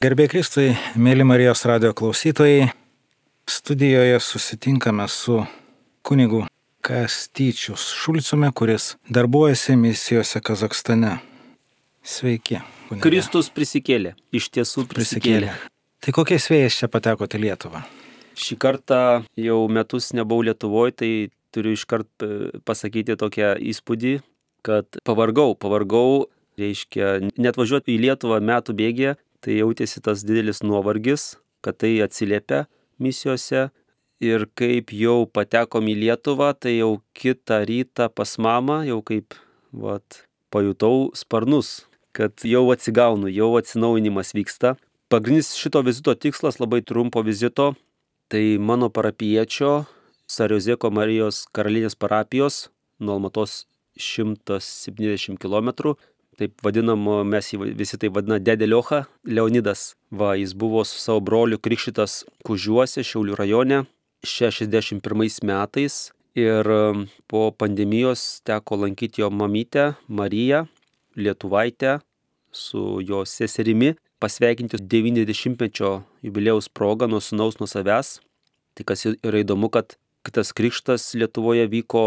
Garbė Kristui, mėly Marijos radio klausytojai, studijoje susitinkame su kunigu Kastyčiu Šulciumi, kuris darbuojasi misijose Kazachstane. Sveiki, kunige. Kristus prisikėlė, iš tiesų prisikėlė. Tai kokiais vėjais čia patekote į Lietuvą? Šį kartą jau metus nebuvau Lietuvoje, tai turiu iškart pasakyti tokią įspūdį, kad pavargau, reiškia, net važiuoti į Lietuvą metų bėgėje, tai jautėsi tas didelis nuovargis, kad tai atsiliepia misijose. Ir kaip jau patekom į Lietuvą, tai jau kitą rytą pas mamą, jau kaip pajutau sparnus, kad jau atsigaunu, jau atsinaujinimas vyksta. Pagrindinis šito vizito tikslas, labai trumpo vizito, tai mano parapijiečio Sariozeko Marijos karalienės parapijos nuo Almatos 170 km. Taip vadinam, mes jį visi taip vadina Dėdė Liocha, Leonidas. Jis buvo su savo broliu krikštytas Kužiuose, Šiaulių rajone 61 metais. Ir po pandemijos teko lankyti jo mamytę Mariją Lietuvaitę su jo seserimi, pasveikinti 90-mečio jubiliejaus progą nuo sūnaus nuo savęs. Tai kas yra įdomu, kad kitas krikštas Lietuvoje vyko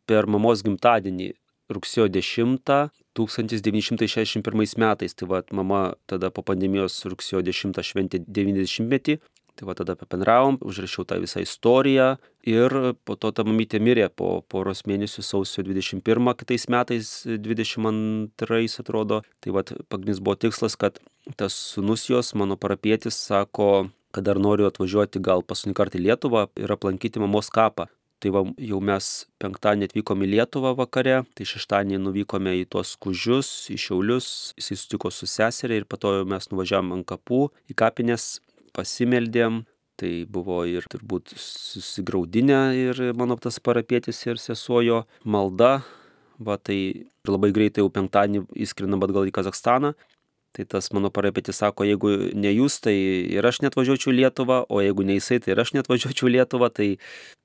per mamos gimtadienį rugsėjo 10 1961 metais. Tai mama tada po pandemijos rugsėjo 10 šventė 90-metį. Tai tada pabendravom, užrašiau tą visą istoriją ir po to ta mamytė mirė po poros mėnesių sausio 21 kitais metais, 22 atrodo. Tai pagrindinis buvo tikslas, kad tas sūnus jos, mano parapietis, sako, kad dar noriu atvažiuoti gal paskutinį kartą į Lietuvą ir aplankyti mamos kapą. Tai jau mes penktadienį atvykom į Lietuvą vakare, tai šeštadienį nuvykome į tuos Kužius, į Šiaulius, jisai sutiko su seserė ir po to mes nuvažiavom ant kapų, į kapines, pasimeldėm. Tai buvo ir turbūt susigraudinę ir mano tas parapietis ir sesuojo malda. Tai labai greitai jau penktadienį įskrinam atgal į Kazachstaną. Tai tas mano parapietis sako, jeigu ne jūs, tai ir aš netvažiuočiau į Lietuvą, o jeigu ne jisai, tai ir aš netvažiuočiau į Lietuvą, tai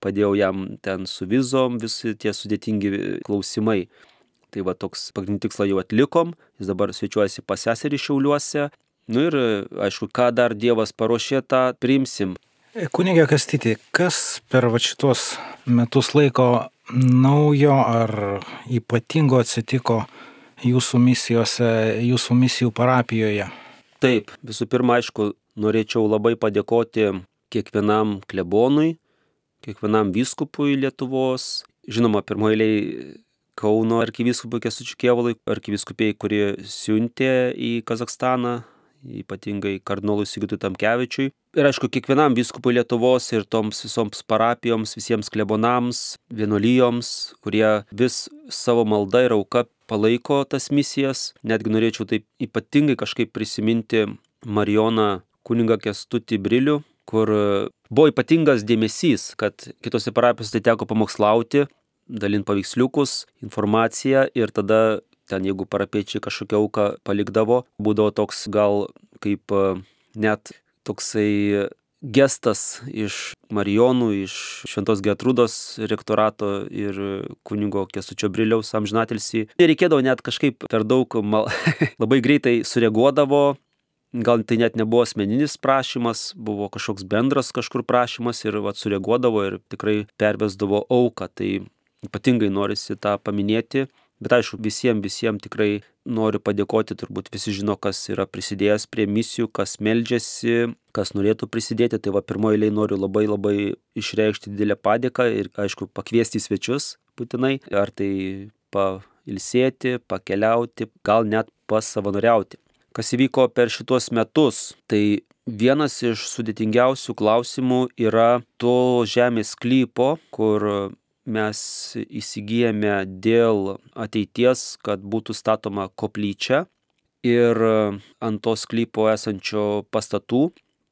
padėjau jam ten su vizom, visi tie sudėtingi klausimai. Tai toks pagrindinį tikslą jau atlikom, jis dabar svečiuojasi pas seserį Šiauliuose. Ir aišku, ką dar Dievas paruošė, tą priimsim. Kunige Kastyti, kas per šitos metus laiko naujo ar ypatingo atsitiko jūsų misijose, jūsų misijų parapijoje? Taip, visų pirma, aišku, norėčiau labai padėkoti kiekvienam klebonui, kiekvienam vyskupui Lietuvos. Žinoma, pirmoje eilėje Kauno arkivyskupui Kęstučiui Kėvalui, arkivyskupijai, kurie siuntė į Kazachstaną, ypatingai kardinolui Sigitui Tamkevičiui. Ir aišku, kiekvienam vyskupui Lietuvos ir toms visoms parapijoms, visiems klebonams, vienuolijoms, kurie vis savo malda ir auka palaiko tas misijas. Netgi norėčiau taip ypatingai kažkaip prisiminti Marijoną kunigą Kęstutį Brilių, kur buvo ypatingas dėmesys, kad kitose parapijose tai teko pamokslauti, dalinti paveiksliukus, informaciją ir tada ten, jeigu parapiečiai kažkokią auką palikdavo, būdavo toks gal kaip net toksai gestas iš Marijonų, iš Šventos Gertrūdos rektorato ir kunigo Kęstučio Briliaus amžinatilsį. Nereikėdavo net kažkaip per daug, labai greitai sureaguodavo, gal tai net nebuvo asmeninis prašymas, buvo kažkoks bendras kažkur prašymas ir sureaguodavo ir tikrai pervesdavo auką. Tai ypatingai norisi tą paminėti. Bet aišku, visiems tikrai noriu padėkoti, turbūt visi žino, kas yra prisidėjęs prie misijų, kas meldžiasi, kas norėtų prisidėti. Tai pirmoje eilėje noriu labai išreikšti didelę padėką ir aišku, pakviesti į svečius būtinai, ar tai pailsėti, pakeliauti, gal net pasavanoriauti. Kas įvyko per šitos metus, tai vienas iš sudėtingiausių klausimų yra to žemės sklypo, kur mes įsigijame dėl ateities, kad būtų statoma koplyčia ir ant to sklypo esančio pastatų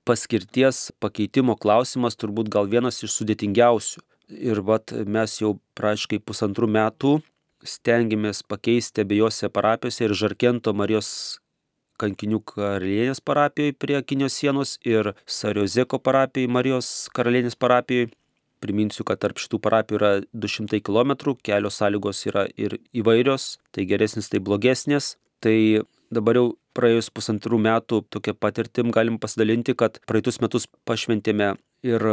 paskirties pakeitimo klausimas turbūt gal vienas iš sudėtingiausių. Ir mes jau praktiškai 1,5 metų stengiamės pakeisti abiejose parapijose ir Žarkento Marijos Kankinių karalienės parapijoje prie Kinijos sienos ir Sariozeko parapijoje, Marijos karalienės parapijoje. Priminsiu, kad tarp šitų parapijų yra 200 km, kelio sąlygos yra ir įvairios, tai geresnis, tai blogesnės. Tai dabar jau praėjus 1,5 metų tokia patirtim galim pasidalinti, kad praeitus metus pašventėme ir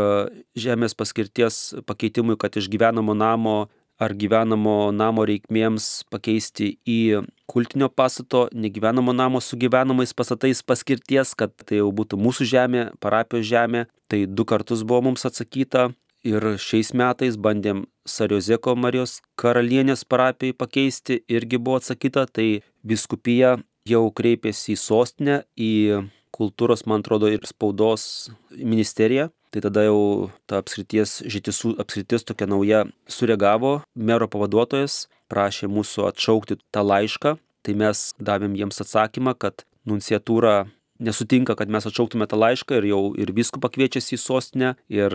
žemės paskirties pakeitimui, kad iš gyvenamo namo ar gyvenamo namo reikmėms pakeisti į kultinio pastato, negyvenamo namo su gyvenamais pastatais paskirties, kad tai jau būtų mūsų žemė, parapijos žemė. Tai 2 kartus buvo mums atsakyta ir šiais metais bandėm Sariozeko Marijos karalienės parapijai pakeisti, irgi buvo atsakyta. Tai vyskupija jau kreipėsi į sostinę, į kultūros, man atrodo, ir spaudos ministeriją. Tai tada jau ta apskrities, Žytisų apskritis tokia nauja sureagavo, mero pavaduotojas prašė mūsų atšaukti tą laišką. Tai mes davėm jiems atsakymą, kad nunciatūra nesutinka, kad mes atšauktume tą laišką ir jau ir vyskupą kviečiasi į sostinę ir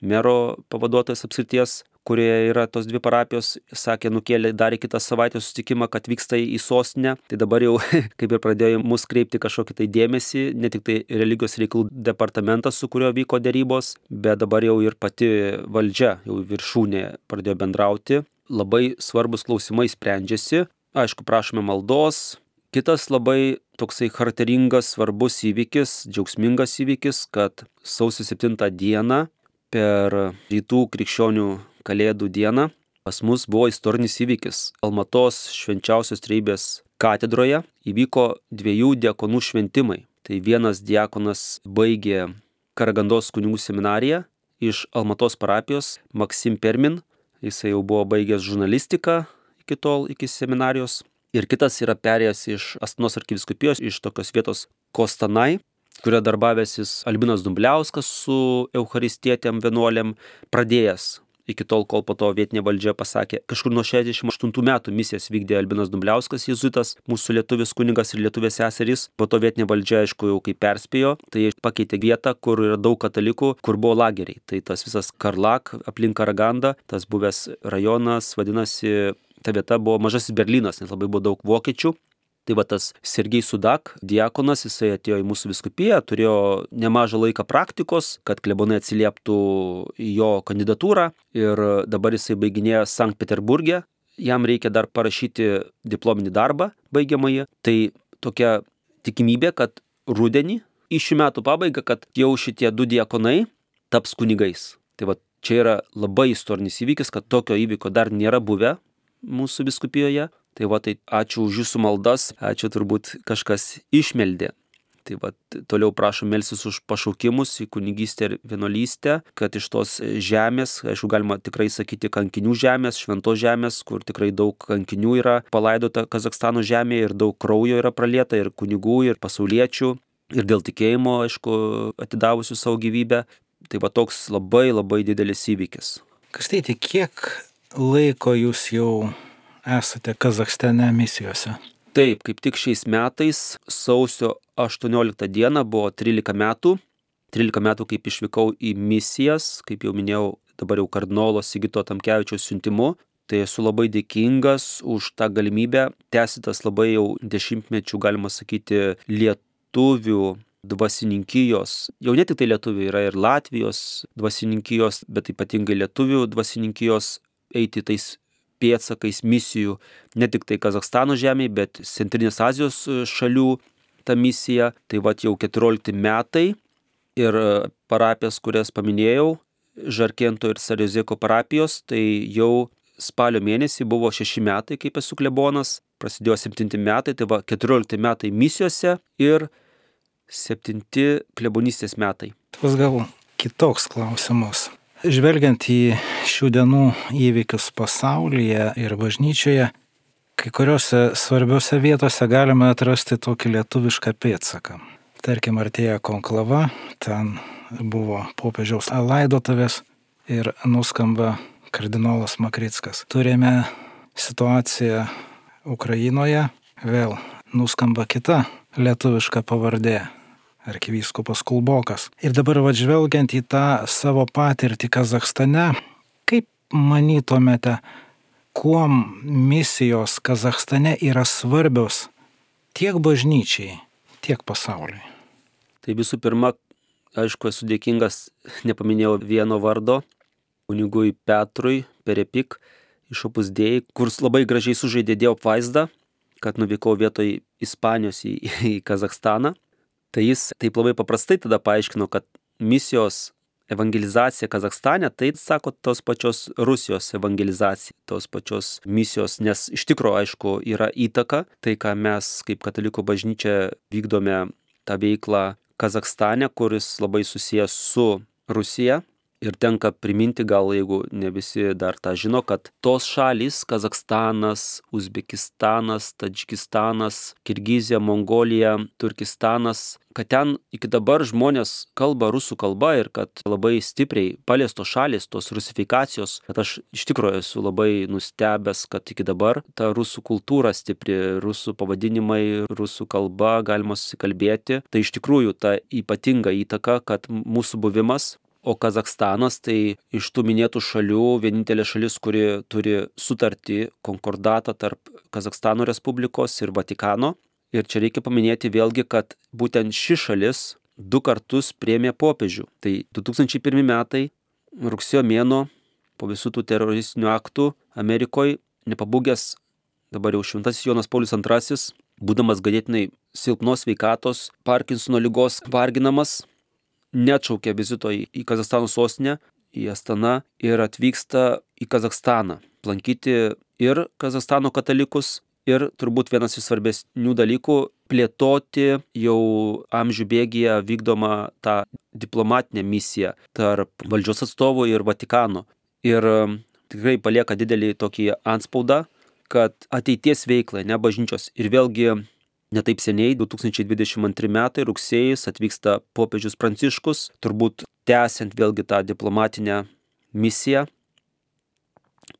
mero pavaduotojas apskrities, kurioje yra tos 2 parapijos, sakė, nukėlė dar į kitą savaitę susitikimą, kad vyksta į sostinę. Tai dabar jau kaip ir pradėjo mus kreipti kažkokį tai dėmesį, ne tik tai religijos reikalų departamentas, su kurio vyko dėrybos, bet dabar jau ir pati valdžia, jau viršūnė pradėjo bendrauti. Labai svarbus klausimai sprendžiasi. Aišku, prašome maldos. Kitas labai toksai charakteringas, svarbus įvykis, džiaugsmingas įvykis, kad sausio 7 dieną per rytų krikščionių Kalėdų dieną pas mus buvo istorinis įvykis. Almatos švenčiausios trejybės katedroje įvyko 2 diakonų šventimai. Tai vienas diakonas baigė Karagandos kunigų seminariją iš Almatos parapijos, Maksim Permin. Jisai jau buvo baigęs žurnalistiką iki seminarijos. Ir kitas yra perėjęs iš Astanos arkivyskupijos, iš tokios vietos Kostanai, kurio darbavęsis Albinas Dumbliauskas su eucharistietėm vienuolėm, pradėjęs iki tol, kol po to vietinė valdžia pasakė, kažkur nuo 68 metų misijas vykdė Albinas Dumbliauskas, jėzuitas, mūsų lietuvis kunigas ir lietuvės seserys. Po to vietinė valdžia, aišku, jau kaip perspėjo, tai pakeitė vietą, kur yra daug katalikų, kur buvo lageriai. Tai tas visas Karlak aplink Karagandą, tas buvęs rajonas, vadinasi, ta vieta buvo mažasis Berlynas, nes labai buvo daug vokiečių. Tai va tas Sergej Sudak, diakonas, jisai atėjo į mūsų vyskupiją, turėjo nemažą laiką praktikos, kad klebonai atsilieptų į jo kandidatūrą ir dabar jisai baiginėja Sankt Peterburge. Jam reikia dar parašyti diplominį darbą baigiamąjį. Tai tokia tikimybė, kad rudenį į šių metų pabaigą, kad jau šitie 2 diakonai taps kunigais. Tai va čia yra labai istorinis įvykis, kad tokio įvykio dar nėra buvę mūsų vyskupijoje. Tai va, tai ačiū už jūsų maldas, ačiū, turbūt kažkas išmeldė. Tai va, toliau prašom melsis už pašaukimus į kunigystę ir vienuolystę, kad iš tos žemės, aišku, galima tikrai sakyti kankinių žemės, šventos žemės, kur tikrai daug kankinių yra palaidota Kazachstano žemėje ir daug kraujo yra pralieta ir kunigų, ir pasauliečių, ir dėl tikėjimo, aišku, atidavusių savo gyvybę. Tai va toks labai labai didelis įvykis. Kastyti, kiek laiko jūs jau esate Kazachstane misijose? Taip, kaip tik šiais metais, sausio 18 dieną buvo 13 metų. 13 metų, kaip išvykau į misijas, kaip jau minėjau, dabar jau kardinolo Sigito Tamkevičiaus siuntimu. Tai esu labai dėkingas už tą galimybę tęsti tas labai jau 10-mečių, galima sakyti, lietuvių dvasininkijos. Jau ne tik tai lietuvių, yra ir Latvijos dvasininkijos, bet ypatingai lietuvių dvasininkijos eiti tais pėdsakais misijų, ne tik tai Kazachstano žemėje, bet Centrinės Azijos šalių ta misija. Tai va jau 14 metai ir parapijas, kurias paminėjau, Žarkento ir Sariozeko parapijos, tai jau spalio mėnesį buvo 6 metai, kaip esu klebonas, prasidėjo 7 metai, tai va 14 metai misijose ir 7 klebonystės metai. Tas gal kitoks klausimas. Žvelgiant į šių dienų įvykius pasaulyje ir bažnyčioje, kai kuriuose svarbiose vietose galime atrasti tokį lietuvišką pėdsaką. Tarkim, artėja konklava, ten buvo popiežiaus laidotuvės ir nuskamba kardinolas Makrickas. Turime situaciją Ukrainoje, vėl nuskamba kita lietuviška pavardė. Arkivyskupas Kulbokas. Ir dabar žvelgiant į tą savo patirtį Kazachstane, kaip manytumėte, kuom misijos Kazachstane yra svarbios tiek bažnyčiai, tiek pasauliui? Tai visų pirma, aišku, esu dėkingas, nepaminėjau vieno vardo, kunigui Petrui Perepik iš Opus Dei, kuris labai gražiai sužaidė Dievo apvaizdą. kad nuvykau vietoj Ispanijos į Kazachstaną. Tai jis taip labai paprastai tada paaiškino, kad misijos evangelizacija Kazachstane, tai sako tos pačios Rusijos evangelizacija, tos pačios misijos, nes iš tikrųjų, aišku, yra įtaka, tai ką mes kaip katalikų bažnyčia vykdome tą veiklą Kazachstane, kuris labai susijęs su Rusija. Ir tenka priminti, gal jeigu ne visi dar tą žino, kad tos šalys - Kazachstanas, Uzbekistanas, Tadžikistanas, Kirgizija, Mongolija, Turkistanas, kad ten iki dabar žmonės kalba rusų kalba ir kad labai stipriai paliestos šalys, tos rusifikacijos, kad aš iš tikrųjų esu labai nustebęs, kad iki dabar ta rusų kultūra stipri, rusų pavadinimai, rusų kalba, galima susikalbėti. Tai iš tikrųjų ta ypatinga įtaka, kad mūsų buvimas. O Kazachstanas tai iš tų minėtų šalių vienintelė šalis, kuri turi sutartį, konkordatą tarp Kazachstano Respublikos ir Vatikano. Ir čia reikia paminėti vėlgi, kad būtent ši šalis 2 kartus priėmė popiežių. Tai 2001 metai, rugsėjo mėnuo, po visų tų teroristinių aktų Amerikoje, nepabūgęs dabar jau šventasis Jonas Paulius II, būdamas ganėtinai silpnos sveikatos, Parkinsono ligos varginamas, neatšaukė vizito į Kazachstano sostinę, į Astaną ir atvyksta į Kazachstaną, aplankyti ir Kazachstano katalikus ir turbūt vienas iš svarbesnių dalykų - plėtoti jau amžių bėgyje vykdomą tą diplomatinę misiją tarp valdžios atstovų ir Vatikano. Ir tikrai palieka didelį tokį antspaudą, kad ateities veiklai, ne bažnyčios. Ir vėlgi netaip seniai, 2022 metai, rugsėjais, atvyksta popiežius Pranciškus, turbūt tęsiant vėlgi tą diplomatinę misiją,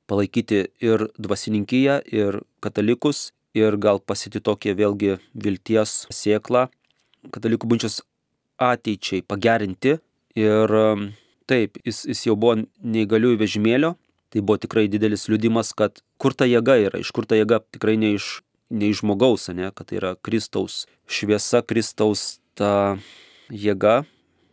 palaikyti ir dvasininkiją, ir katalikus, ir gal pasėti tokią vėlgi vilties sėklą katalikų bažnyčios ateičiai pagerinti. Ir taip, jis jau buvo neįgaliųjų vežimėlio, tai buvo tikrai didelis liudimas, kad kur ta jėga yra, iš kur ta jėga tikrai ne iš žmogaus, ne, kad tai yra Kristaus šviesa, Kristaus ta jėga,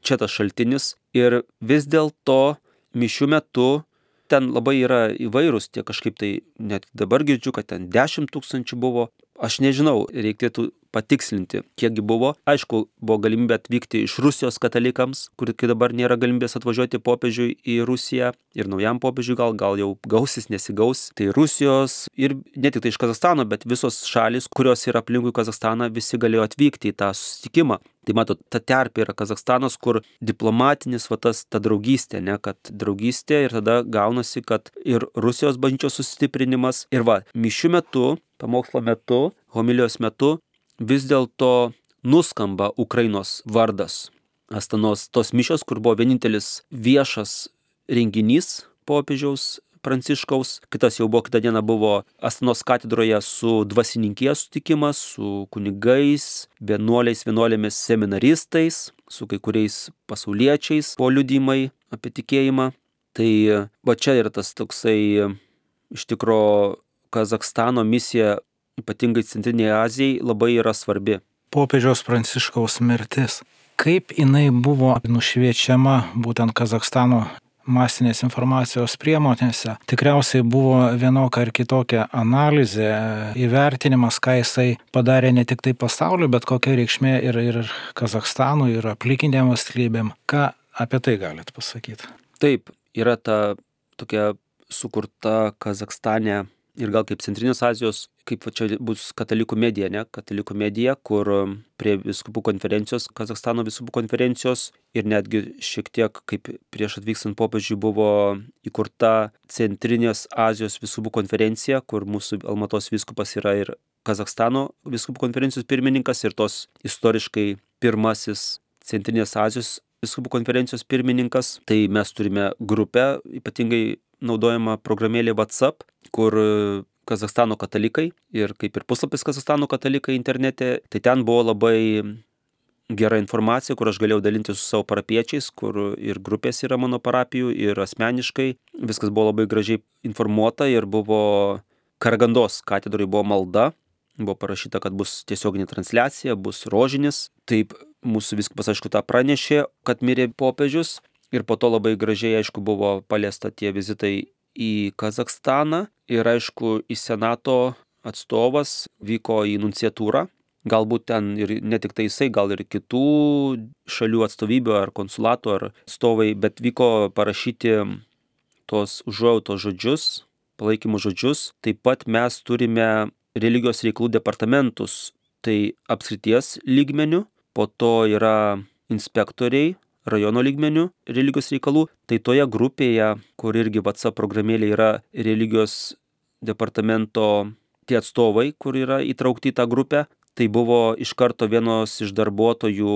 čia tas šaltinis. Ir vis dėlto mišių metu ten labai yra įvairūs, tie kažkaip tai net dabar girdžiu, kad ten 10 000 buvo. Aš nežinau, reikėtų patikslinti, kiekgi buvo. Aišku, buvo galimybė atvykti iš Rusijos katalikams, kur iki dabar nėra galimybės atvažiuoti popiežiui į Rusiją ir naujam popiežiui gal jau gausis, nesigaus. Tai Rusijos ir ne tik tai iš Kazachstano, bet visos šalis, kurios yra aplinkui Kazachstaną, visi galėjo atvykti į tą susitikimą. Tai matot, ta terpė yra Kazachstanas, kur diplomatinis ta draugystė, ne, kad draugystė ir tada gaunasi, kad ir Rusijos bažnyčios sustiprinimas ir mišių metu, pamokslo metu, homilijos metu vis dėlto nuskamba Ukrainos vardas. Astanos tos mišios, kur buvo vienintelis viešas renginys popiežiaus Pranciškaus. Kitas jau buvo, kitą dieną buvo Astanos katedroje su dvasininkija sutikimas, su kunigais, vienuolėmis, seminaristais, su kai kuriais pasauliečiais, po liudymai apie tikėjimą. Tai čia yra tas toksai iš tikro Kazachstano misija, ypatingai Centrinėje Azijai, labai yra svarbi. Popiežiaus Pranciškaus mirtis. Kaip jinai buvo nušviečiama būtent Kazachstano masinės informacijos priemonėse? Tikriausiai buvo vienokia ar kitokia analizė, įvertinimas, ką jisai padarė ne tik tai pasauliu, bet kokia reikšmė ir Kazachstanui, ir aplinkiniam valstybėm. Ką apie tai galit pasakyti? Taip, yra ta tokia sukurta Kazachstane ir gal kaip Centrinės Azijos, kaip čia bus katalikų medija, ne? Katalikų medija, kur prie vyskupų konferencijos, Kazachstano vyskupų konferencijos ir netgi šiek tiek kaip prieš atvykstant popiežiui buvo įkurta Centrinės Azijos vyskupų konferencija, kur mūsų Almatos vyskupas yra ir Kazachstano vyskupų konferencijos pirmininkas ir tos istoriškai pirmasis Centrinės Azijos vyskupų konferencijos pirmininkas. Tai mes turime grupę, ypatingai naudojama programėlė WhatsApp, kur Kazachstano katalikai ir kaip ir puslapis Kazachstano katalikai internete, tai ten buvo labai gera informacija, kur aš galėjau dalinti su savo parapiečiais, kur ir grupės yra mano parapijų ir asmeniškai. Viskas buvo labai gražiai informuota ir buvo Karagandos katedroje buvo malda, buvo parašyta, kad bus tiesioginė transliacija, bus rožinis. Taip mūsų vyskupas aišku tą pranešė, kad mirė popiežius. Ir po to labai gražiai, aišku, buvo paliesta tie vizitai į Kazachstaną ir, aišku, į Senato atstovas vyko į nunciatūrą. Galbūt ten ir ne tik tai jisai, gal ir kitų šalių atstovybių ar konsulatų ar atstovai, bet vyko parašyti tos užuojautos žodžius, palaikymo žodžius. Taip pat mes turime religijos reikalų departamentus, tai apskrities lygmenių, po to yra inspektoriai rajono lygmenių religijos reikalų. Tai toje grupėje, kur irgi WhatsApp programėlė yra religijos departamento tie atstovai, kur yra įtraukti į tą grupę, tai buvo iš karto vienos iš darbuotojų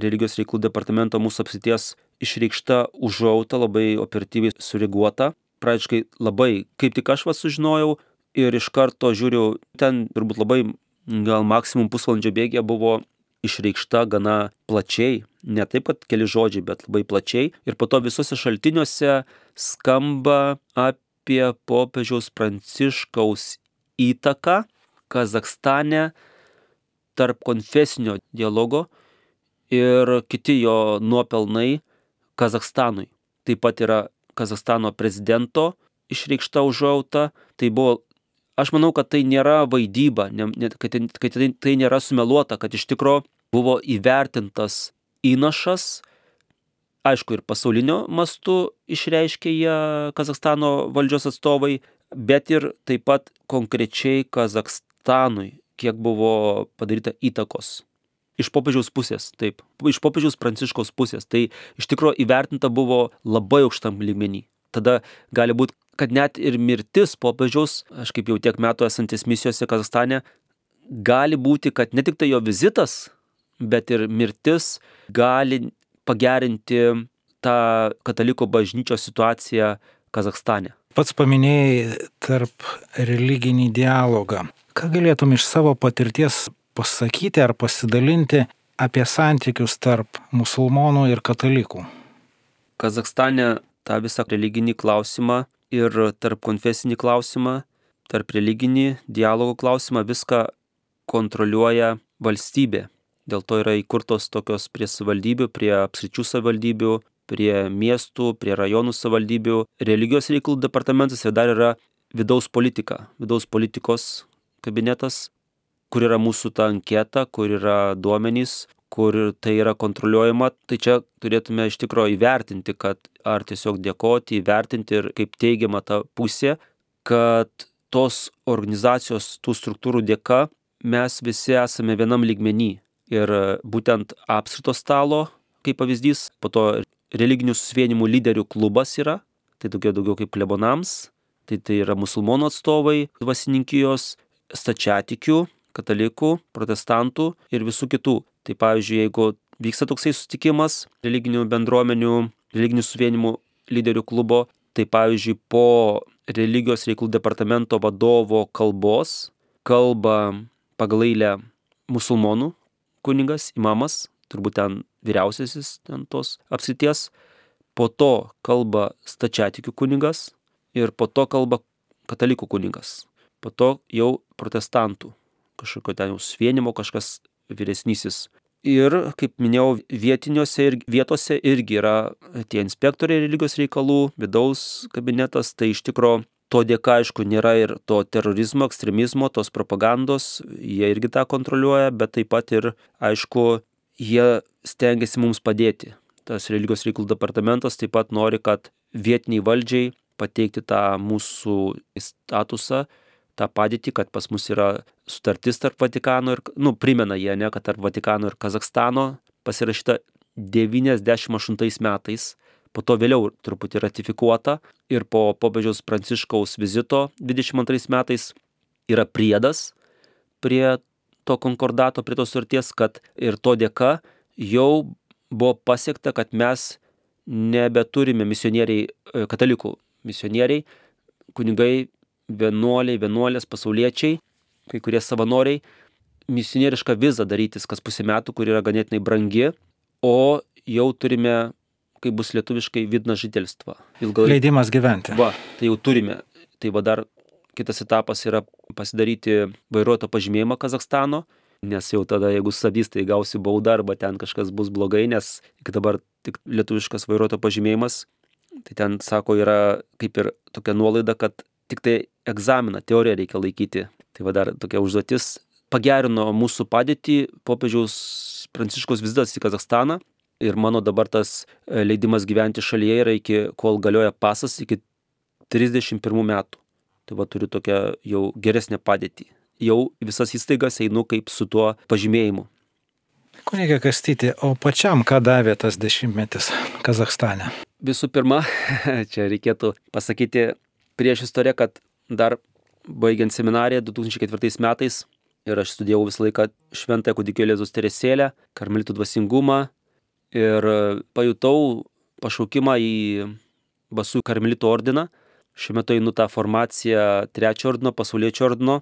religijos reikalų departamento mūsų apskrities išreikšta užuojauta, labai operatyviai sureaguota. Praktiškai labai, kaip tik aš sužinojau ir iš karto žiūriu, ten turbūt labai gal maksimum pusvalandžio bėgyje buvo išreikšta gana plačiai, ne taip, kad keli žodžiai, bet labai plačiai. Ir po to visuose šaltiniuose skamba apie popiežiaus Pranciškaus įtaką Kazachstane tarp konfesinio dialogo ir kiti jo nuopelnai Kazachstanui. Taip pat yra Kazachstano prezidento išreikšta užuojauta. Tai buvo, aš manau, kad tai nėra vaidyba, kad tai nėra sumeluota, kad iš tikro buvo įvertintas įnašas, aišku, ir pasaulinio mastu išreiškė jie Kazachstano valdžios atstovai, bet ir taip pat konkrečiai Kazachstanui, kiek buvo padaryta įtakos. Iš popiežiaus pusės, taip. Iš popiežiaus Pranciškaus pusės. Tai iš tikrųjų įvertinta buvo labai aukštam lygmenį. Tada gali būti, kad net ir mirtis popiežiaus, aš kaip jau tiek metų esantis misijose Kazachstane, gali būti, kad ne tik tai jo vizitas, bet ir mirtis gali pagerinti tą katalikų bažnyčios situaciją Kazachstane. Pats paminėjai tarp religinį dialogą. Ką galėtum iš savo patirties pasakyti ar pasidalinti apie santykius tarp musulmonų ir katalikų? Kazachstane tą visą religinį klausimą ir tarp konfesinį klausimą, tarp religinį dialogo klausimą viską kontroliuoja valstybė. Dėl to yra įkurtos tokios prie savivaldybių, prie apskričių savivaldybių, prie miestų, prie rajonų savivaldybių, religijos reikalų departamentas ir dar yra vidaus politikos kabinetas, kur yra mūsų ta anketa, kur yra duomenys, kur tai yra kontroliuojama. Tai čia turėtume iš tikrųjų įvertinti, kad ar tiesiog dėkoti, įvertinti ir kaip teigiama ta pusė, kad tos organizacijos, tų struktūrų dėka mes visi esame vienam lygmenį. Ir būtent apskrito stalo, kaip pavyzdys, po to religinių susivienimų lyderių klubas yra, tai daugiau kaip klebonams, tai yra musulmonų atstovai, dvasininkijos, stačiatikių, katalikų, protestantų ir visų kitų. Tai pavyzdžiui, jeigu vyksta toksai susitikimas religinių bendruomenių, religinių suvienimų lyderių klubo, tai pavyzdžiui, po religijos reikalų departamento vadovo kalbos kalba pagal eilę musulmonų kunigas, imamas, turbūt ten vyriausiasis ten tos apskrities, po to kalba stačiatikių kunigas ir po to kalba katalikų kunigas, po to jau protestantų, kažkokio ten jau suvienimo kažkas vyresnysis. Ir, kaip minėjau, vietose irgi yra tie inspektoriai religijos reikalų, vidaus kabinetas, tai iš tikro to dėka, aišku, nėra ir to terorizmo, ekstremizmo, tos propagandos, jie irgi tą kontroliuoja, bet taip pat ir, aišku, jie stengiasi mums padėti. Tas religijos reikalų departamentas taip pat nori, kad vietiniai valdžiai pateikti tą mūsų statusą, tą padėtį, kad pas mus yra sutartis tarp Vatikano ir, primena jie, kad tarp Vatikano ir Kazachstano pasirašyta 98 metais, po to vėliau truputį ratifikuota ir po popiežiaus Pranciškaus vizito 22 metais yra priedas prie to konkordato, prie tos sutarties, kad ir to dėka jau buvo pasiekta, kad mes nebeturime misionieriai, katalikų misionieriai, kunigai, vienuolės, pasauliečiai, kai kurie savanoriai, misionierišką vizą darytis kas pusę metų, kur yra ganėtinai brangi, o jau turime, kaip bus lietuviškai, vidna žitelstva. Leidimas gyventi. Va, tai jau turime. Tai va dar kitas etapas yra pasidaryti vairuotojo pažymėjimą Kazachstano, nes jau tada, jeigu stabdys, tai gausi baudą arba ten kažkas bus blogai, nes iki dabar tik lietuviškas vairuotojo pažymėjimas, tai ten, sako, yra kaip ir tokia nuolaida, kad tik tai egzaminą, teoriją reikia laikyti Tai va dar tokia užduotis pagerino mūsų padėtį popiežiaus Pranciškaus vizitas į Kazachstaną. Ir mano dabar tas leidimas gyventi šalyje yra kol galioja pasas, iki 31 metų. Tai va turiu tokią jau geresnę padėtį. Jau visas įstaigas einu kaip su tuo pažymėjimu. Kunige Kastyti, o pačiam ką davė tas 10-metis Kazachstane? Visų pirma, čia reikėtų pasakyti prieš istoriją, kad dar baigiant seminariją 2004 metais ir aš studijavau visą laiką Šventąją Kūdikėlio Jėzaus Teresėlę, karmelitų dvasingumą ir pajutau pašaukimą į Basų karmelitų ordiną. Šiuo metu einu tą formaciją 3 ordino, pasauliečio ordino.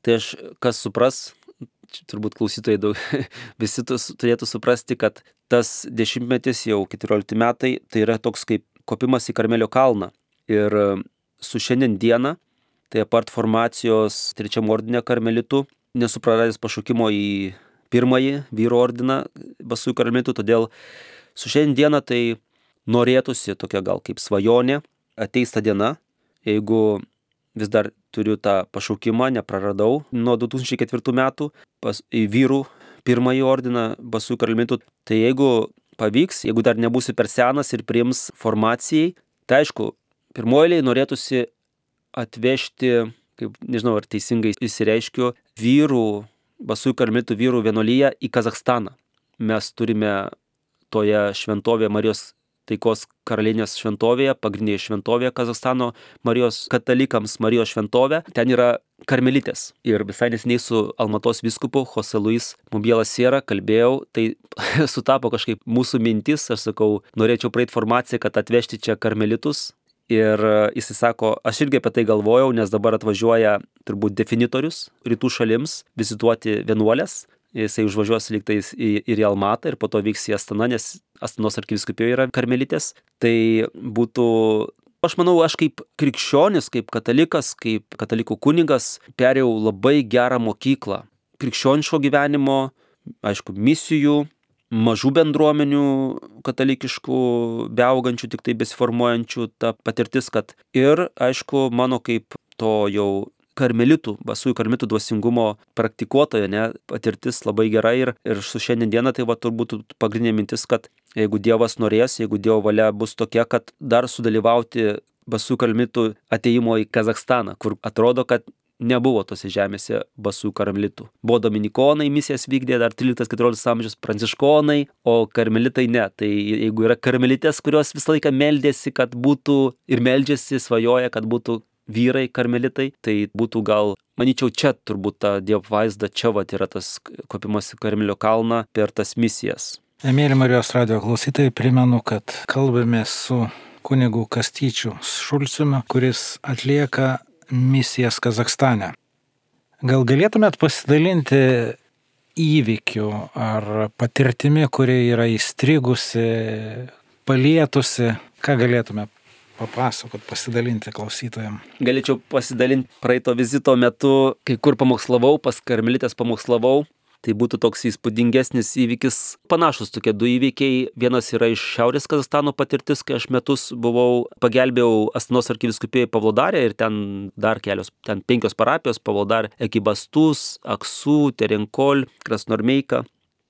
Tai aš, kas supras, turbūt klausytojai daug, visi turėtų suprasti, kad tas 10-metis jau 14 metai, tai yra toks kaip kopimas į Karmelio kalną. Ir su šiandien diena, tai apart formacijos 3 ordine karmelitų, nesu praradęs pašaukimo į 1 vyro ordiną Basų karmelitų, todėl su šiandien diena tai norėtųsi tokia gal kaip svajonė, ateis ta diena, jeigu vis dar turiu tą pašaukimą, nepraradau nuo 2004 metų į vyrų 1 ordiną Basų karmelitų, tai jeigu pavyks, jeigu dar nebūsiu per senas ir priims formacijai, tai aišku, pirmoji norėtųsi atvežti, kaip nežinau, ar teisingai įsireiškiu, Basų karmelitų vyrų vienuolyją į Kazachstaną. Mes turime toje šventovėje Marijos taikos karalienės šventovėje, pagrindinėje šventovėje Kazachstano Marijos katalikams, Marijos šventovė. Ten yra karmelitės. Ir visai neseniai su Almatos vyskupu Jose Luis Mubiela Sierra kalbėjau, tai sutapo kažkaip mūsų mintis, aš sakau, norėčiau praeiti formaciją, kad atvežti čia karmelitus. Ir jis sako, aš irgi apie tai galvojau, nes dabar atvažiuoja turbūt definitorius rytų šalims vizituoti vienuolės. Jisai užvažiuos lygtais ir į Almatą ir po to vyks į Astaną, nes Astanos arkivyskupijoje yra karmelitės. Tai būtų, aš manau, aš kaip krikščionis, kaip katalikas, kaip katalikų kunigas perėjau labai gerą mokyklą krikščioniško gyvenimo, aišku, misijų, mažų bendruomenių katalikiškų, beaugančių, tik tai besiformuojančių, ta patirtis, kad ir, aišku, mano kaip to jau karmelitų, Basų karmelitų dvasingumo praktikuotojo, patirtis labai gera ir su šiandien diena tai va turbūt pagrindinė mintis, kad jeigu Dievas norės, jeigu Dievo valia bus tokia, kad dar sudalyvauti Basų karmelitų ateimo į Kazachstaną, kur atrodo, kad nebuvo tose žemėse Basų karmelitų. Buvo dominikonai, misijas vykdė dar 13-14 amžius, pranciškonai, o karmelitai ne. Tai jeigu yra karmelitės, kurios visą laiką meldėsi, kad būtų ir meldžiasi, svajoja, kad būtų vyrai karmelitai, tai būtų gal, manyčiau, čia turbūt ta Dievo vaizda, čia vat yra tas kopimas į Karmelio kalną per tas misijas. Mėly Marijos radijo klausytojai, primenu, kad kalbame su kunigu Kastyčiu Šulciumi, kuris atlieka misijas Kazachstane. Gal galėtumėt pasidalinti įvykių ar patirtimi, kuri yra įstrigusi, palietusi, ką galėtume papasakot, pasidalinti klausytojams? Galėčiau pasidalinti praeito vizito metu, kai kur pamokslavau, pas karmelitės pamokslavau. Tai būtų toks įspūdingesnis įvykis. Panašus tokie 2 įvykiai. Vienas yra iš Šiaurės Kazachstano patirtis, kai aš metus pagelbėjau Astanos arkivyskupijoje Pavlodare ir ten dar kelios, ten 5 parapijos, Pavlodar, Ekibastus, Aksu, Terenkol, Krasnormeika.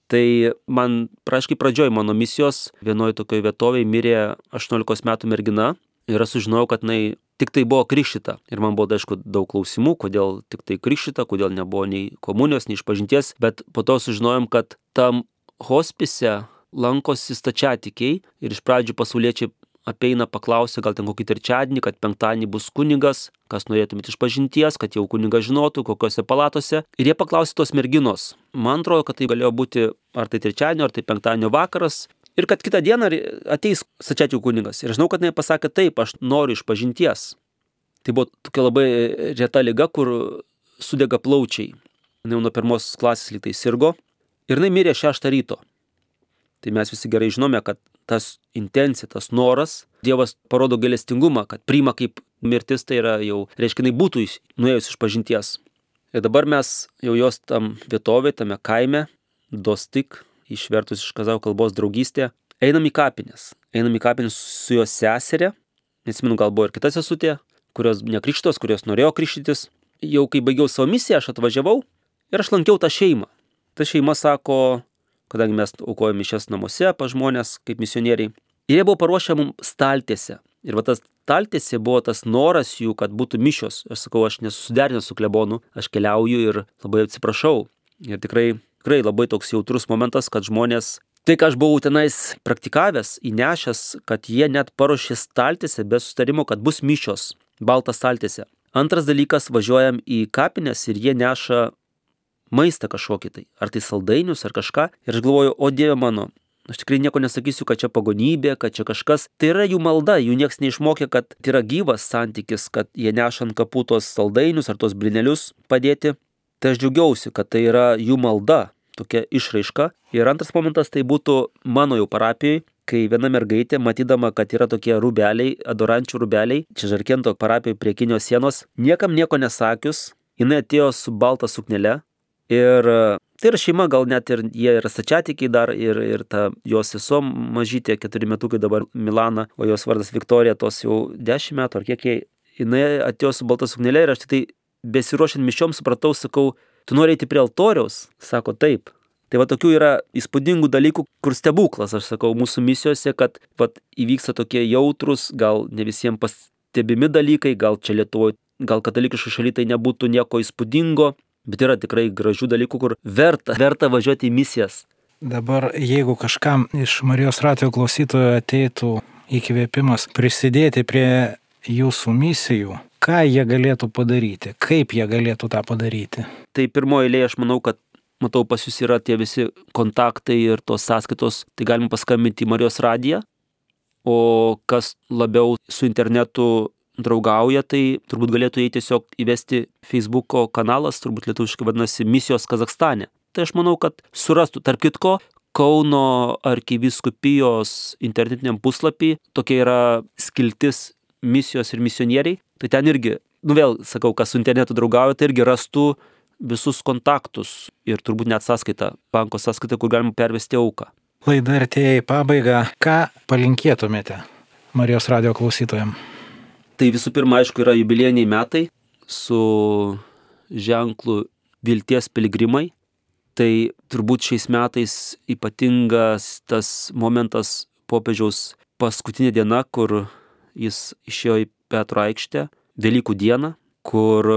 Tai man praškai pradžioj mano misijos vienoje tokioje vietovėje mirė 18 metų mergina ir aš sužinojau, kad jinai tik tai buvo krikštyta. Ir man buvo, aišku, daug klausimų, kodėl tik tai krikštyta, kodėl nebuvo nei komunijos, nei išpažinties, bet po to sužinojom, kad tam hospise lankosi stačiatikiai ir iš pradžių pasauliečiai apeina, paklausia, gal ten kokį trečiadienį, kad penktadienį bus kunigas, kas norėtumėt išpažinties, kad jau kunigas žinotų, kokiose palatose. Ir jie paklausė tos merginos. Man atrodo, kad tai galėjo būti ar tai trečiadienio, ar tai penktadienio vakaras. Ir kad kitą dieną ateis stačiatikių kunigas. Ir žinau, kad jinai pasakė taip, aš noriu išpažinties. Tai buvo tokia labai reta liga, kur sudega plaučiai. Jinai nuo 1 klasės lyg tai sirgo. Ir jinai mirė 6 ryto. Tai mes visi gerai žinome, kad tas intencija, tas noras, Dievas parodo gailestingumą, kad priima kaip mirtis, tai yra jau, reiškia, jinai būtų nuėjus išpažinties. Ir dabar mes jau jos tam vietovė, tame kaime, Dostik, išvertus iš kazachų kalbos draugystė, einam į kapines. Einam į kapines su jos seserė, nesimenu, gal buvo ir kita sesutė, kurios nekrikštos, kurios norėjo krikštytis. jau kai baigiau savo misiją, aš atvažiavau ir aš lankiau tą šeimą. Ta šeima sako, kadangi mes aukojame mišias namuose pas žmonės kaip misionieriai, ir jie buvo paruošę mums staltiesę. Ir va tas staltiesė buvo tas noras jų, kad būtų mišios. Aš sakau, aš nesusiderinęs su klebonu, aš keliauju ir labai atsiprašau. Ir tikrai labai toks jautrus momentas, kad žmonės, tai ką aš buvau tenais praktikavęs, įnešęs, kad jie net paruošė staltiesę be susitarimo, kad bus mišios, baltą staltiesę. Antras dalykas, važiuojam į kapines ir jie neša maistą kažkokį tai, ar tai saldainius, ar kažką. Ir aš galvoju, o Dieve mano, aš tikrai nieko nesakysiu, kad čia pagonybė, kad čia kažkas. Tai yra jų malda, jų nieks neišmokė, kad tai yra gyvas santykis, kad jie neša ant kapų tos saldainius ar tos blynelius padėti. Tai aš džiaugiausi, kad tai yra jų malda, tokia išraiška. Ir antras momentas tai būtų mano jau parapijai, kai viena mergaitė, matydama, kad yra tokie rūbeliai, adorančių rūbeliai, čia Žarkento parapijai prie Kinijos sienos, niekam nieko nesakius, jinai atėjo su balta suknele. Ir tai yra šeima, gal net ir jie yra stačiatikiai dar, ir ta jos sesuo mažytė, 4 metukai dabar Milana, o jos vardas Viktorija, tos jau 10 metų, ar kiek jinai atėjo su balta suknele ir aš tik tai besiruošiant mišiom supratau, sakau, tu nori eiti prie altoriaus? Sako, taip. Tai va tokių yra įspūdingų dalykų, kur stebuklas, aš sakau, mūsų misijose, kad įvyksta tokie jautrus, gal ne visiems pastebimi dalykai, gal čia Lietuvoje, gal katalikiškai šaly tai nebūtų nieko įspūdingo. Bet yra tikrai gražių dalykų, kur verta važiuoti į misijas. Dabar, jeigu kažkam iš Marijos radijo klausytojų ateitų įkvėpimas prisidėti prie jūsų misijų, ką jie galėtų padaryti, kaip jie galėtų tą padaryti? Tai pirmoje eilėje aš manau, kad matau pas jūs yra tie visi kontaktai ir tos sąskaitos, tai galima paskambinti į Marijos radiją, o kas labiau su internetu draugauja, tai turbūt galėtų jį tiesiog įvesti Facebooko kanalas, turbūt lietuviškai vadinasi Misijos Kazachstane. Tai aš manau, kad surastų, tarp kitko, Kauno arkivyskupijos internetiniam puslapį, tokia yra skiltis misijos ir misionieriai. Tai ten irgi, vėl sakau, kas su internetu draugauja, tai irgi rastų visus kontaktus ir turbūt net sąskaitą, banko sąskaitą, kur galima pervesti auką. Laida artėja į pabaigą. Ką palinkėtumėte Marijos radijo klausytojams? Tai visų pirma, aišku, yra jubiliejiniai metai su ženklu Vilties piligrimai. Tai turbūt šiais metais ypatingas tas momentas popiežiaus paskutinė diena, kur jis išėjo į Petro aikštę, Velykų dieną, kur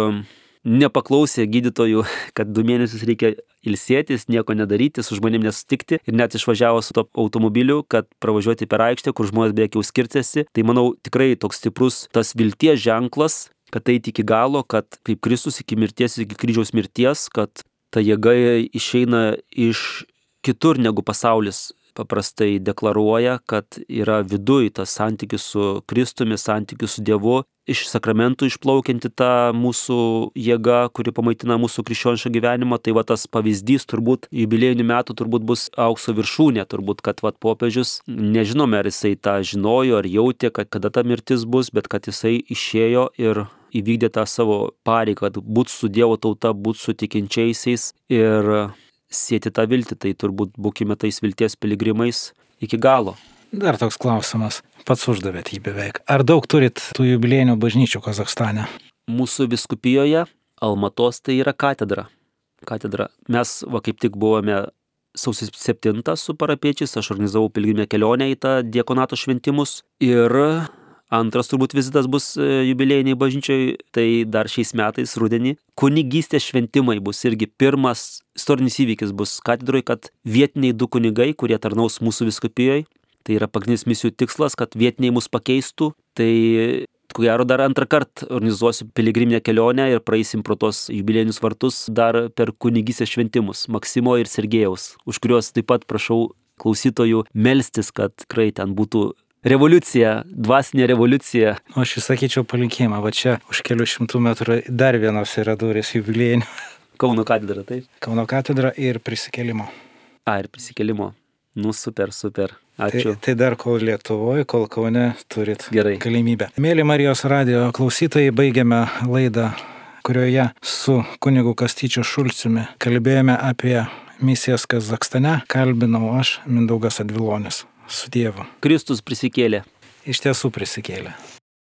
nepaklausė gydytojų, kad 2 mėnesius reikia ilsėtis, nieko nedaryti, su žmonėm nesutikti ir net išvažiavo su to automobiliu, kad pravažiuoti per aikštę, kur žmonės beveik jau skirtėsi. Tai manau tikrai toks stiprus tas vilties ženklas, kad tai iki galo, kad kaip Kristus iki mirties, iki kryžiaus mirties, kad ta jėga išeina iš kitur negu pasaulis paprastai deklaruoja, kad yra viduj tas santykis su Kristumi, santykis su Dievu, iš sakramentų išplaukianti ta mūsų jėga, kuri pamaitina mūsų krikščionišką gyvenimą. Tai va tas pavyzdys turbūt jubiliejinių metų turbūt bus aukso viršūnė, turbūt, kad popiežius, nežinome, ar jisai tą žinojo, ar jautė, kad kada ta mirtis bus, bet kad jisai išėjo ir įvykdė tą savo pareigą, kad būt su Dievo tauta, būt su tikinčiaisiais ir sieti tą viltį. Tai turbūt būkime tais vilties piligrimais iki galo. Dar toks klausimas. Pats uždavėt jį beveik. Ar daug turit tų jubiliejinių bažnyčių Kazachstane? Mūsų vyskupijoje Almatos tai yra katedra. Mes kaip tik buvome sausio 7 su parapiečiais, aš organizavau piligriminę kelionę į tą diakonato šventimus. Ir antras turbūt vizitas bus jubiliejiniai bažnyčiai, tai dar šiais metais rudenį. Kunigystės šventimai bus irgi pirmas istorinis įvykis bus katedroje, kad vietiniai 2 kunigai, kurie tarnaus mūsų vyskupijoje, tai yra pagrindinis misijų tikslas, kad vietiniai mus pakeistų. Tai ko gero dar antrą kartą organizuosiu piligriminę kelionę ir praeisim pro tos jubiliejinius vartus dar per kunigystės šventimus Maksimo ir Sergejaus, už kuriuos taip pat prašau klausytojų melstis, kad tikrai ten būtų revoliucija, dvasinė revoliucija. O aš sakyčiau palinkėjimą, va čia už kelių šimtų metrų dar vienos yra durys jubiliejinių. Kauno katedra, taip? Kauno katedra ir prisikėlimo. Ir prisikėlimo. Super. Ačiū. Tai dar kol Lietuvoje, kol Kaune turit galimybę. Mėly Marijos radijo klausytojai, baigiame laidą, kurioje su kunigu Kastyčiu Šulciumi kalbėjome apie misijas Kazachstane. Kalbinau aš, Mindaugas Advilonis. Su Dievu. Kristus prisikėlė. Iš tiesų prisikėlė.